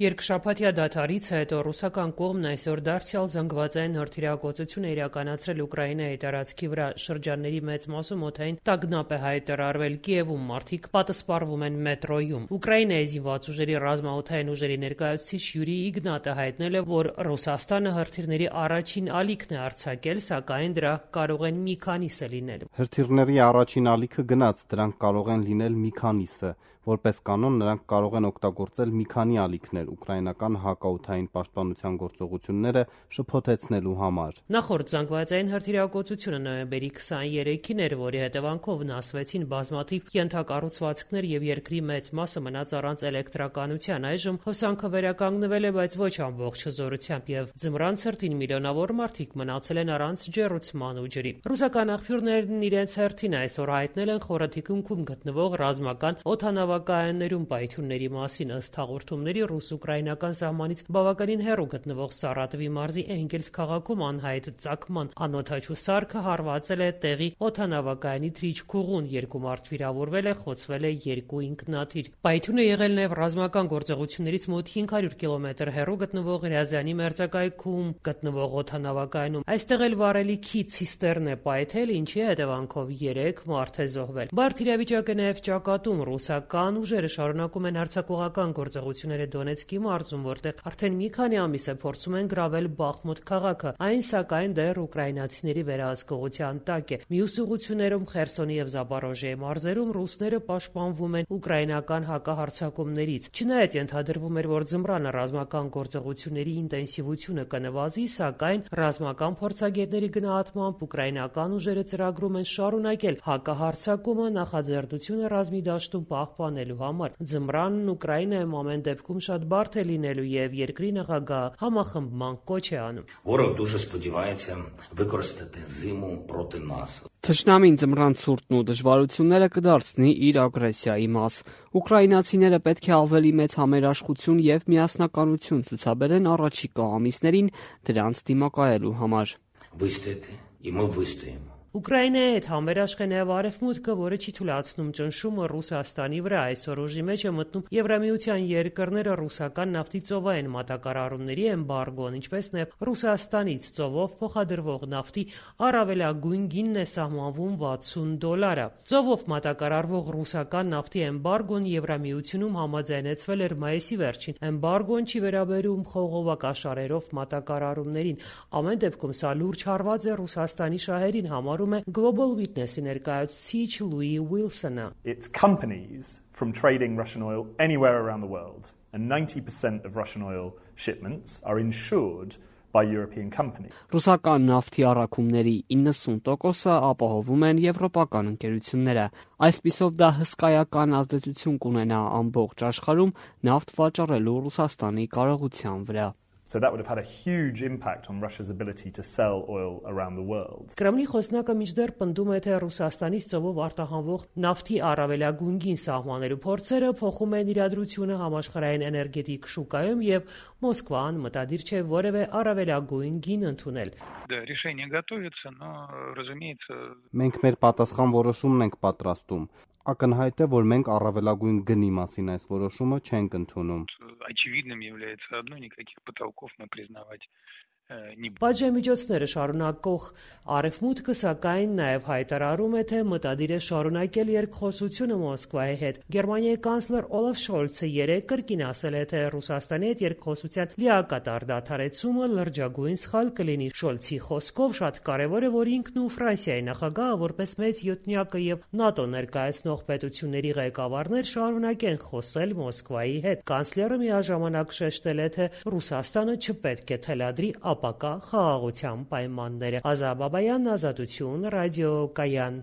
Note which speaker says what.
Speaker 1: Երկշաբաթյա դադարից հետո ռուսական կողմն այսօր դարձյալ զանգվածային հրթիռակոծություն է իրականացրել Ուկրաինայի տարածքի վրա։ Շրջանների մեծ մասում օդային տագնապ է հայտարարվել։ Կիևում մարդիկ պատսպարվում են մետրոյում։ Ուկրաինայի զինված ուժերի ռազմաօդային ուժերի ներկայացուցիչ Յուրի Իգնատը հայտնել է, որ Ռուսաստանը հրթիռների առաջին ալիքն է արձակել, սակայն դրանք կարող են մի քանիսը լինել։
Speaker 2: Հրթիռների առաջին ալիքը գնաց, դրանք կարող են լինել մի քանիսը։ Որպես կանոն նրանք կարող են օգտագործել մի քանի ալիքներ ուկրաինական հակաօդային պաշտպանության գործողությունները շփոթեցնելու համար։
Speaker 1: Նախորդ զանգվածային հրթիռակոծությունը նոյեմբերի 23-ին էր, որի հետևանքով վնասվեցին բազմաթիվ ենթակառուցվածքներ եւ երկրի մեծ մասը մնաց առանց էլեկտրականության։ Այժմ հոսանքը վերականգնվել է, բայց ոչ ամբողջ հզորությամբ եւ ձմռան ցրտին միլիոնավոր մարդիկ մնացել են առանց ջեռուցման ու ջրի։ Ռուսական աղբյուրներն իրենց հերթին այսօր հայտնել են խորը թիկունքում գտնվող ռազմական օդանավակայաններում պայթյունների մասին։ Ըստ հաղորդումների ռուս-ուկրաինական սահմանից բավականին հեռու գտնվող Սարատովի մարզի Էնգելս քաղաքում անհայտ ծագման անօդաչու սարքը հարվածել է տեղի օդանավակայանի թռիչքուղուն։ 2 մարդ վիրավորվել է, խոցվել է 2 ինքնաթիռ։ Պայթյունը եղել նաև ռազմական գործողություններից մոտ 500 կիլոմետր հեռու գտնվող Ռյազանի մերձակայքում գտնվող օդանավակայանում։ Այստեղ էլ վառելիքի ցիստերն է պայթել, ինչի հետևանքով 3 մարդ է զոհվել։ Բարդ իրավիճակ է նաև ճակատում։ Ռուսական ուժերը շարունակում են հարձակողական գործողությունները Դոնեցկի մարզում, որտեղ արդեն մի քանի ամիս է փորձում են գրավել Բախմուտ քաղաքը։ Այն սակայն դեռ ուկրաինացիների վերահսկողության տակ է։ Մյուս ուղղություններում Խերսոնի եւ Զապորոժիեի մարզերում ռուսները պաշտպանվում են ուկրաինական հակահարձակումներից։ Չնայած ենթադրվում էր, որ ձմռանը ռազմական գործողությունների ինտենսիվությունը կնվազի, սակայն ռազմական փորձագետների գնահատմամբ ուկրաինական ուժերը ծրագրում են շարունակել հակահարձակումը նախաձեռնությունը ռազմի դաշտում պահպանելու համար։ Ձմռանն Ուկրաինայում ամեն դեպքում շատ բարդ է լինելու եւ երկրի նախագահը համախմբման կոչ է անում։
Speaker 3: Ворог дуже сподівається використати зиму проти нас.
Speaker 4: Թշնամին ձմռան ցուրտն ու դժվարությունները կդարձնի իր ագրեսիայի մաս։ Ուկրաինացիները պետք է ավելի մեծ համերաշխություն եւ միասնականություն ցուցաբերեն առաջիկա ամիսներին դրանց դիմակայելու համար։
Speaker 3: Вистояти, і ми вистоїмо.
Speaker 1: Ուկրաինայի հետ համերաշխ է նաև Արևմուտքը, որը չի թույլատրում ճնշումը Ռուսաստանի վրա։ Այսօր ուժի մեջ է մտնում Եվրամիության երկրները ռուսական նավթի ծովային մատակարարումների էմբարգոն, ինչպես նաև Ռուսաստանից ծովով փոխադրվող նավթի առավելագույն գինն է սահմանվում $60։ Ծովով մատակարարվող ռուսական նավթի էմբարգոն Եվրամիությունում համաձայնեցվել էր մայիսի վերջին։ Էմբարգոն չի վերաբերում խողովակաշարերով մատակարարումներին։ Ամեն դեպքում սա լուրջ հարված է Ռուսաստանի շահերին, համարում Global Witness-ի ներկայացուցիչ Լուի Ուիլսոնը։
Speaker 5: It's companies from trading Russian oil anywhere around the world, and 90% of Russian oil shipments are insured by European companies.
Speaker 4: Ռուսական նավթի առաքումների 90%-ը ապահովում են եվրոպական ընկերությունները։ Այսպիսով դա հսկայական ազդեցություն կունենա ամբողջ աշխարհում նավթ վաճառելու Ռուսաստանի կարողության վրա։
Speaker 5: So that would have had a huge impact on Russia's ability to sell oil around the world.
Speaker 1: Կրեմլի խոսնակը մինչդեռ պնդում է, թե Ռուսաստանից ծովով արտահանվող նավթի առավելագույն գին սահմանելու փորձերը փոխում են իրադրությունը համաշխարհային էներգետիկ շուկայում եւ Մոսկվան մտադիր չէ որևէ առավելագույն գին ընդունել։
Speaker 6: Решение готовится, но, разумеется,
Speaker 2: Մենք մեր պատասխան որոշումն ենք պատրաստում։ Ակնհայտ է, որ մենք առավելագույն գնի մասին այս որոշումը չենք ընդունում։
Speaker 6: очевидным является одно, никаких потолков мы признавать не будем.
Speaker 1: Պատժամիջոցները շարունակող Արևմուտքը սակայն նաև հայտարարում է, թե մտադիր է շարունակել երկխոսությունը Մոսկվայի հետ։ Գերմանիայի կանցլեր Օլաֆ Շոլցը երեկ կրկին ասել է, թե Ռուսաստանի հետ երկխոսության լիակատար դադարեցումը լրջագույն սխալ կլինի։ Շոլցի խոսքով շատ կարևոր է, որ ինքն ու Ֆրանսիայի նախագահը որպես մեծ յոթնյակը եւ ՆԱՏՕ ներկայացնող պետությունների ղեկավարներ շարունակեն խոսել Մոսկվայի հետ։ Կանցլերը միաժամանակ շեշտել է, թե Ռուսաստանը չպետք է թելադրի ապակա խաղաղության պայմանները։ Ազա Բաբայան, Ազատություն, ռադիոկայան։